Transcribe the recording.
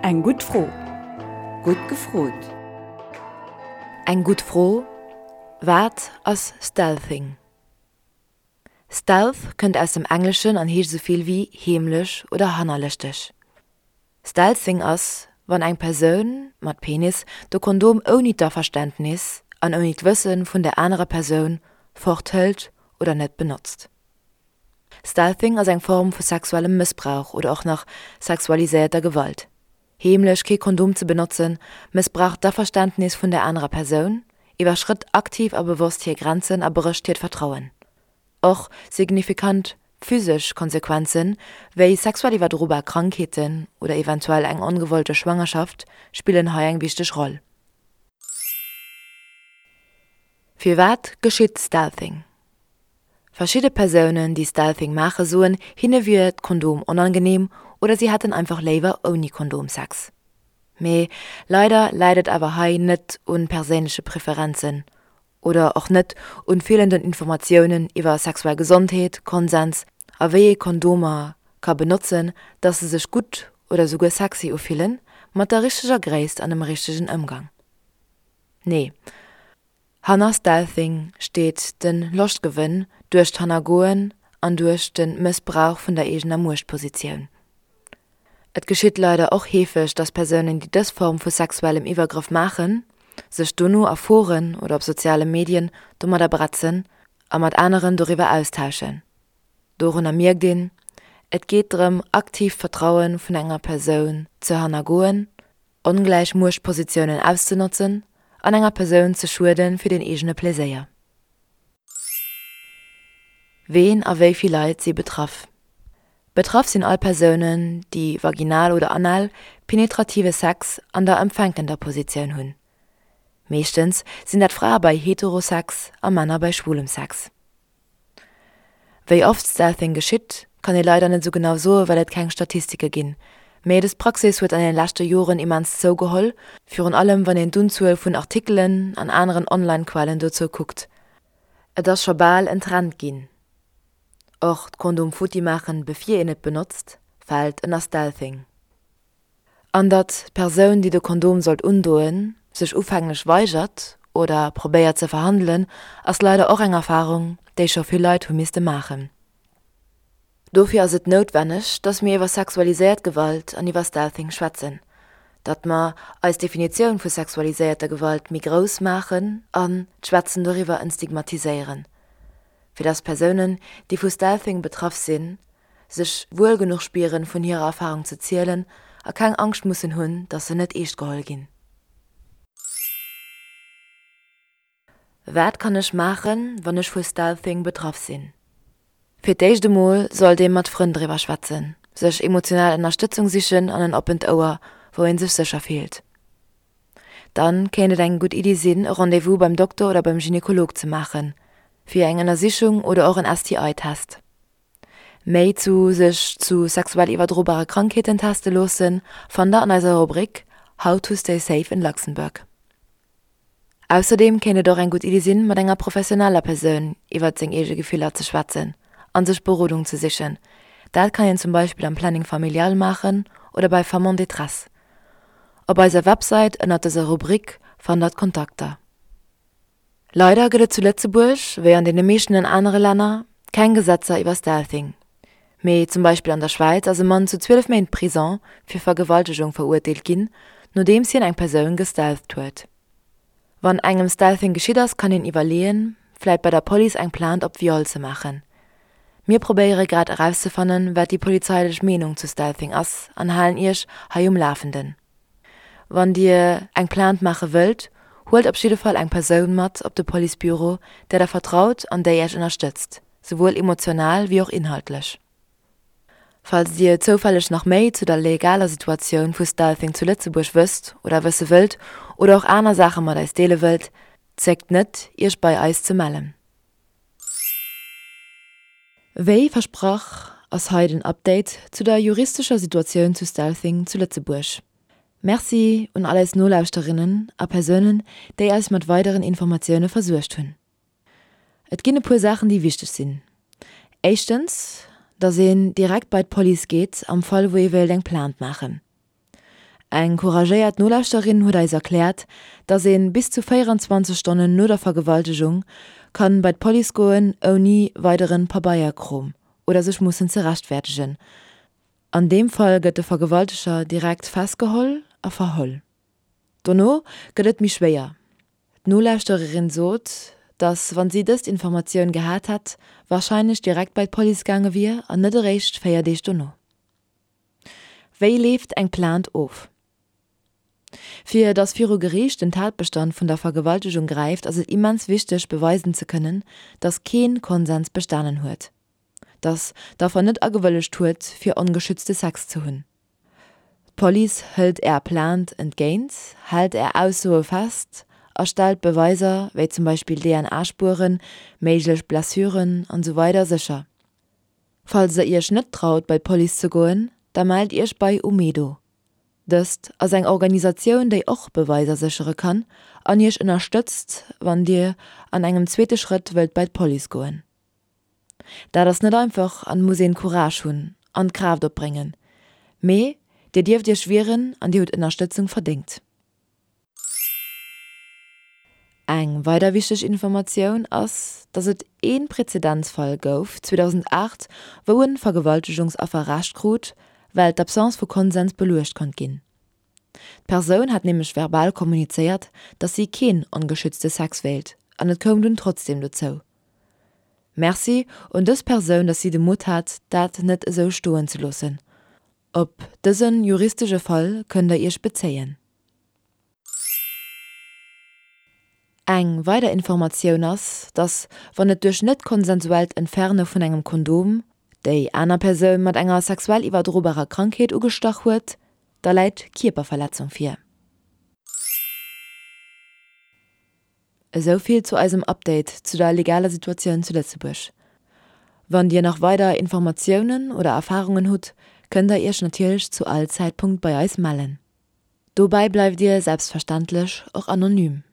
Eng gutt Fro. Gutt gefrot. Eng gutt Fro, Wat ass Stealthing? Stealth kënnt aus dem Engleschen an heescht esou vill wéi heemlech oder hannerlëschteg. Stealthing ass, wann eng Persoun, mat Penis, de Kondom ouni d'Averständnis an ouni d'Wësse vun der anerer Persoun forthëlt oder net benotzt. Stealthing ass eng Form vu sexuellem Mëssbrauch oder och nach sexualiséierter Gewalt. Heemlech kee Kondom ze benotzen, mëssbraucht d'Averständnis vun der anerer Persoun, iwwerschrëtt aktiv a bewosst hir Grenzen a brécht hiert Vertrauen. Och signifikant physesch Konsequenzen, wéi sexuell iwwerdrobar Krankheeten oder eventuell eng ongewollte Schwangerschaft, spillen hei eng wichteg Roll. Firwat geschitt Stealthing? Verschidde Persounen, déi Stealthing maache soen, hinne wier d'Kondom onangeneem oder si hätten einfach léiwer ouni Kondom Sex. Mee leider läit et awer hei net un perséinleche Preferenzen oder och net un feelenden Informatiounen iwwer sexuell Gesondheet, Konsens a wéi ee Kondomer ka benotzen, dass se sech gutt oder souguer sexy ufillen, mat der richteger Gréisst an dem richtegen Ëmgang. Nee, hanner Stealthing steet de Loschtgewënn duerch d'Hannergoen an duerch de Mëssbrauch vun der eegener Muechtpositioun. Et geschitt leider och heefeg, dass Persounen, déi dës Form vu sexuellem Iwwergrëff maachen, sech dono a Foren oder op soziale Medien domadder bretzen a mat aneren doriwwer austauschen. Dorunner mierkt een, Et geet drëm, aktiv d'Vertraue vun enger Persoun ze hannergoen, ongläich Muechtpositiounen auszenotzen an enger Persoun ze schuede fir den eegene Pleséier. Ween a wéi vill Leit si betraff? Betraff sinn all Persounen, déi vaginal oder anal penetrative Sex an der empfänkender Positioun hunn. Meeschtens sinn dat Frae bei Heterosex a Männer bei schwulem Sex. Wéi oft Stealthing geschitt, kann ee leider net esou genau soe well et keng Statistike ginn. Mee dës Praxis huet an den leschte Joren immens zougeholl, virun allem wann een d'Unzuel vun Artikelen an aneren Online-Quellen dozou kuckt. Et ass scho bal en Trend ginn. Och d'Kondom futti maachen bevir een et benotzt, fält ënner Stealthing. An datt d'Persoun, déi de Kondom sollt undoen, sech ufänglech weigert oder probéiert ze verhandelen, ass leider och eng Erfarung, déi scho vill Leit hu misste maachen. Dofir ass et noutwenneg, datt mir iwwer sexualiséiert Gewalt an iwwer Stealthing schwätzen, datt mer eis Definitioun vu sexualiséierter Gewalt méi grouss maachen an d'Schwätzen doriwwer entstigmatiséieren, fir datt Persounen, déi vu Stealthing betraff sinn, sech wuel genuch spieren, vun hirer Erfarung ze zielen a keng Angscht mussen hunn, dass se net eescht geholl ginn. Wat kann ech maachen, wann ech vu Stealthing betraff sinn? Fir d'éischt emol sollt ee mat Frënn driwwer schwätzen, sech emotional Ënnerstëtzung sichen an en oppent Ouer, wou ee sech sécher fillt. Dann kéint et eng gutt Iddi sinn, e Rendez-vous beim Dokter oder beim Gynekolog ze maachen, fir eng Ënnersichung oder och en STI-Test. Méi zu sech zu sexuell iwwerdrobare Krankheeten teste loossen, fannt der an eiser Rubrik How to stay safe in Luxembourg. Ausserdeem kéint et och eng gutt Iddi sinn, mat enger professioneller Persoun iwwert seng eege Gefiller ze schwätzen an sech Berodung ze sichen. Dat kann een zum Beispill am Planning Familial maachen oder bei Femmes en détresse. Op eiser Websäit ënnert dëser Rubrik fannt der d'Kontakter. Leider gëtt et zu Lëtzebuerg, wéi an deene meeschten anere Länner, keng Gesetzer iwwer Stealthing. Mee zum Beispill an der Schwäiz ass e Mann zu 12 Méint Prison fir Vergewaltegung verurteelt ginn, nodeems hien eng Persoun gestealtht huet. Wann engem Stealthing geschitt ass, kann een iwwerleeën, vläit bei der Police eng Plainte op Viol ze maachen. Mir probéiere grad erauszefannen, wat déi polizeilech Meenung zu Stealthing ass an halen Iech hei um Lafenden. Wann Dir eng Plainte maache wëllt, huelt op jidde Fall eng Persoun mat op de Policebüro, där der vertraut an déi Iech ënnerstëtzt, souwuel emotional wéi och inhaltlech. Falls Dir zoufälleg nach méi zu der legaler Situatioun vu Stealthing zu Lëtzebuerg wësst oder wësse wëllt oder och aner Saache mat eis deele wëllt, zéckt net, Iech bei eis ze mellen. Wéi versprach ass hei den Update zu der juristescher Situatioun zu Stealthing zu Lëtzebuerg. Merci un all eis Nolauschterinnen a Persounen, déi eis mat weideren Informatioune versuergt hunn. Et ginn e puer Saachen, déi wichteg sinn. Éischtens, dass een direkt bei d'Police geet am Fall wou ee wéilt eng Plainte maachen. Eng couragéiert Nolauschterin huet eis erkläert, dass een bis zu 24 Stonnen no der Vergewaltegung kann bei d'Police goen ouni weideren Pabeierkrom oder sech mussen ze rechtfertegen. An deem Fall gëtt de Vergewalteger direkt festgeholl a verholl. Dono gëtt et méi schwéier. D'Nolauschtererin sot, dass wann si dëst Informatioun gehat hätt, warscheinlech direkt bei d'Police gaange wier an net eréischt 4 Deeg dono. Wéi leeft eng Plainte of? Fir dass viru Geriicht den Tatbestand vun der Vergewaltegung gräift, ass et immens wichteg beweisen ze kënnen, dass keen Konsens bestanen huet, dass d'Affer net agewëllegt huet fir ongeschützte Sex ze hunn. D'Police hëlt Är Plainte entgéint, hält Är Aussoe fest a stellt Beweiser, wéi zum Beispill DNA-Spueren, méiglech Blessuren an esou weider sécher. Falls der Iech net traut bei d'Police ze goen, da mellt Iech bei Umedo. Dëst ass eng Organisatioun, déi och Beweiser séchere kann an Iech ënnerstëtzt, wann Dir an engem zweete Schrëtt wëllt bei d'Police goen. Dat ass net einfach an muss een Courage hunn an d'Kraaft opbréngen, mee dir dierft iech wieren an dir hutt Ënnerstëtzung verdéngt. Eng weider wichteg Informatioun ass, dass et een Präzedenzfall gouf 2008, wou en Vergewaltegungsaffer Recht krut, well d'Absence vu Konsens beluecht konnt ginn. D'Persoun hat nämlech verbal kommunizéiert, dass si keen ongeschützte Sex wéilt an et koum dunn trotzdem dozou. Merci un dës Persoun, dass si de Mutt hat, dat net esou stoen ze loossen. Op dësen juristesche Fall kënnt der Iech bezéien. Eng weider Informatioun ass, dass wann et duerch net konsensuellt Entferne vun engem Kondom déi aner Persoun mat enger sexuell iwwerdrobarer Krankheet ugestach huet, da läit Kierperverletzung vir. Esou vill zu eisem Update zu der legaler Situatioun zu Lëtzebuerg. Wann dir nach weider Informatiounen oder Erfarungen hutt, kënnt der iech natierlech zu all Zäitpunkt bei eis mellen. Dobäi bleift dir selbstverständlech och anonym.